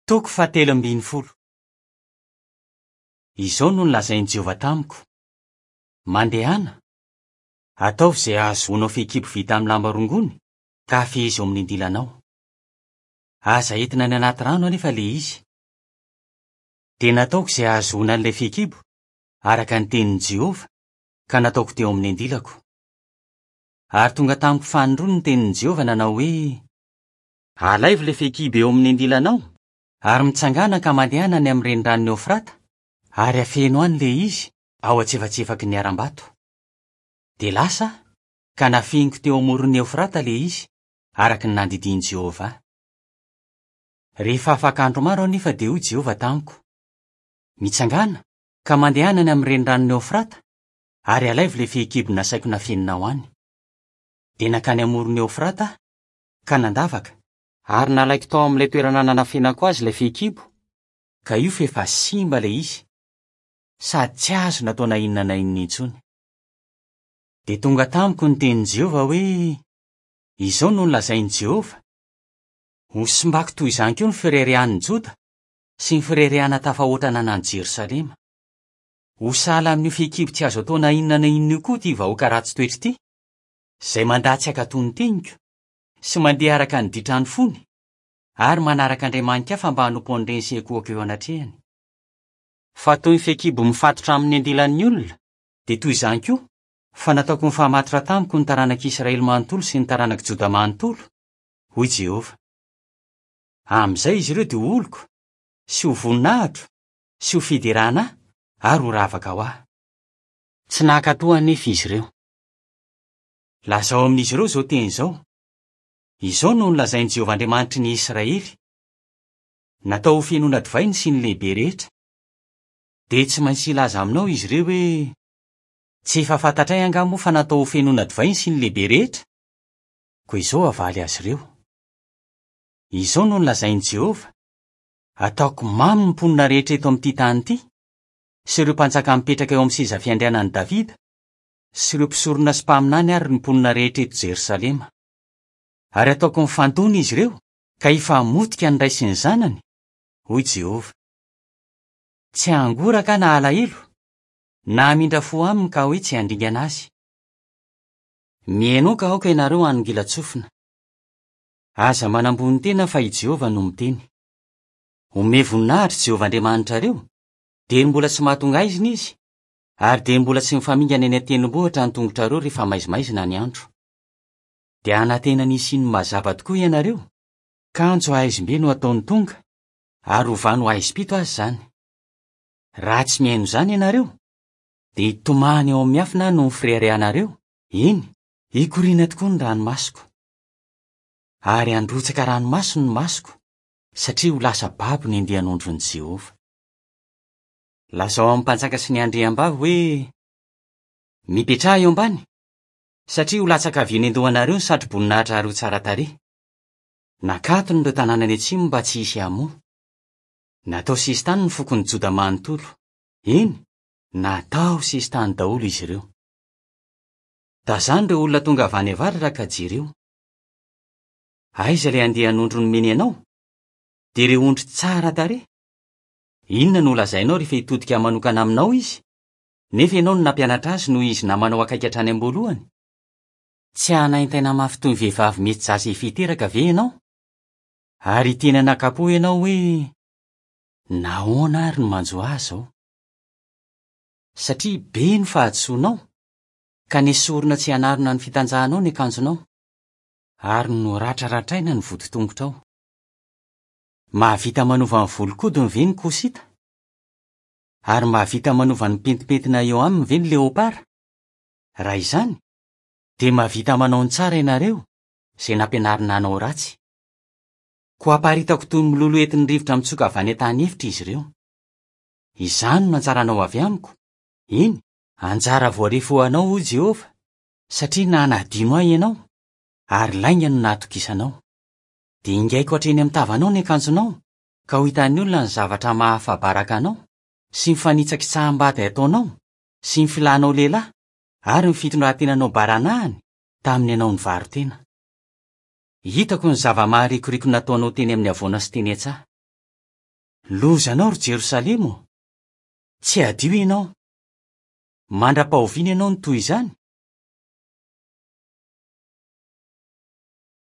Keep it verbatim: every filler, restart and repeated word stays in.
Toko fahatelo ambin'ny folo. Izao no nolazain'i Jehovah tamiko: Mandehana, ataovy izay hahazoanao fehikibo vita amin'ny lamba rongony ka afehezo eo amin'ny andilanao. Aza entina any anaty rano anefa ilay izy. Dia nataoko izay hahazoana an'ilay fehikibo, araka ny tenin'i Jehovah, ka nataoko teo amin'ny andilako. Ary tonga tamiko fanindroany ny tenin'i Jehovah nanao hoe: Alaivo ilay fehikibo eo amin'ny andilanao, ary mitsangàna ka mandehana any amin'ny reniranon'i Eofrata, ary afeno any ilay izy ao antsefatsefaky ny harambato. Dia lasa aho, ka nafeniko teo amoron'i Eofrata ilay izy, araka ny nandidian'i Jehovah ahy. Rehefa afaka andro maro anefa dia hoy Jehovah tamiko: Mitsangàna ka mandehana any amin'ny reniranon'i Eofrata, ary alaivo ilay fehikibo nasaiko nafeninao any. Dia nankany amoron'i Eofrata aho, ka nandavaka, ary nalaiko tao amin'ilay toerana nanafenako azy ilay fehikibo, ka io fa efa simba ilay izy, sady tsy azo natao na inona na inona intsony. Dia tonga tamiko ny tenin'i Jehovah hoe: Izao no nolazain'i Jehovah: Hosimbako toy izany koa ny fireharehan'ny Joda sy ny fireharehana tafahoatra ananan'i Jerosalema. Ho sahala amin'io fehikibo tsy azo atao na inona na inona io koa ity vahoaka ratsy toetra ity, izay mandà tsy hankatò ny teniko sy mandeha araka ny ditran'ny fony ary manaraka andriamani-kafa mba hanompo an'ireny sy ankohoka eo anatrehany. Fa toy ny fehikibo mifatotra amin'ny andilan'ny olona, dia toy izany koa fa nataoko nifamatotra tamiko ny taranak'Israely manontolo sy ny taranak'i Joda manontolo, hoy Jehovah. Amin'izay izy ireo dia ho oloko, sy ho voninahitro, sy ho fiderana ahy, ary ho ravaka ho ahy. Tsy nankatò anefa izy ireo. Lazao amin'izy ireo izao teny izao: Izao no nolazain'i Jehovah Andriamanitry ny Israely: Natao ho fenoina divay ny siny lehibe rehetra. Dia tsy maintsy hilaza aminao izy ireo hoe: Tsy efa fantatray angaha moa fa natao ho fenoina divay ny siny lehibe rehetra? Koa izao havaly azy ireo: Izao no nolazain'i Jehovah: Ataoko mamy ny mponina rehetra eto amin'ity tany ity, sy ireo mpanjaka mipetraka eo amin'ny seza fiandrianan'i Davida, sy ireo mpisorona sy mpaminany ary ny mponina rehetra eto Jerosalema. Ary ataoko mifandona izy ireo, ka hifamotika ny ray sy ny zanany, hoy Jehovah. Tsy hangoraka na alahelo, na hamindra fo aminy ka hoe tsy handringana azy. Mihainoa ka aoka ianareo hanongilan-tsofina. Aza manambony tena fa i Jehovah no miteny. Omeo voninahitra Jehovah Andriamanitrareo, dia mbola tsy mahatonga aizina izy, ary dia mbola tsy mifamingana eny an-tendrombohitra ny tongotrareo rehefa maizimaizina ny andro. Dia hanantena ny hisian'ny mazava tokoa ianareo, kanjo haizim-be no ataony tonga, ary hovany ho haizim-pito azy izany. Raha tsy mihaino izany ianareo, dia hitomany ao amin'ny miafina noho ny fireharehanareo, eny, hikoriana tokoa ny ranomasoko. Ary handrotsaka ranomaso ny masoko, satria ho lasa babo ny andian'ondron'i Jehovah. Lazao amin'ny mpanjaka sy ny andriambavy hoe: Mipetraha eo ambany, satria ho latsaka avy eny an-dohanareo ny satroboninahitra tsara tarehy. Nakatony ireo tanàna any atsimo mba tsy hisy hamoa. Natao sesitany ny fokon'i Joda manontolo. Eny, natao sesitany daholo izy ireo. Tazano ireo olona tonga avy any avaratra ka jereo. Aiza ilay andian'ondry nomeny anao? Dia ireo ondry tsara tarehy. Inona no lazainao rehefa hitodika manokana aminao izy, nefa ianao no nampianatra azy noho izy namanao akaiky hatrany am-boalohany? Tsy hanaintaina mafy toy ny vehivavy mety zaza efa hiteraka ve ianao? Ary hiteny anakapo ianao hoe: Nahoana ary no manjo ahy izao? Satria be ny fahadisoanao, ka nesorina tsy hanarona ny fitanjahanao ny akanjonao, ary noratraratraina ny voditongotrao. Mahavita manova ny volon-kodiny ve ny kosita? Ary mahavita manova ny pentimpentina eo aminy ve ny leopara? Raha izany, dia mahavita manao ny tsara ianareo, izay nampianarina hanao ratsy. Koa aparitako toy ny mololo entin'ny rivotra mitsoka avy any an-tany efitra izy ireo. Izany no antsaranao avy amiko, eny, anjara voarefy ho anao, hoy Jehovah, satria nanadino ahy ianao, ary lainga no nahatokisanao. Dia ingaiko hatreny amin'ny tavanao ny akanjonao, ka ho hitan'ny olona ny zavatra mahafa-baraka anao, sy ny fanitsakitsaham-bady ataonao, sy ny filanao lehilahy, ary ny fitondran-tenanao baranahany tamin'ny ianao nivaro-tena. Hitako ny zava-maharikoriko nataonao teny amin'ny havoana sy teny an-tsaha. Lozanao ry Jerosalema ô! Tsy hadio ianao. Mandra-pahoviana ianao no toy izany?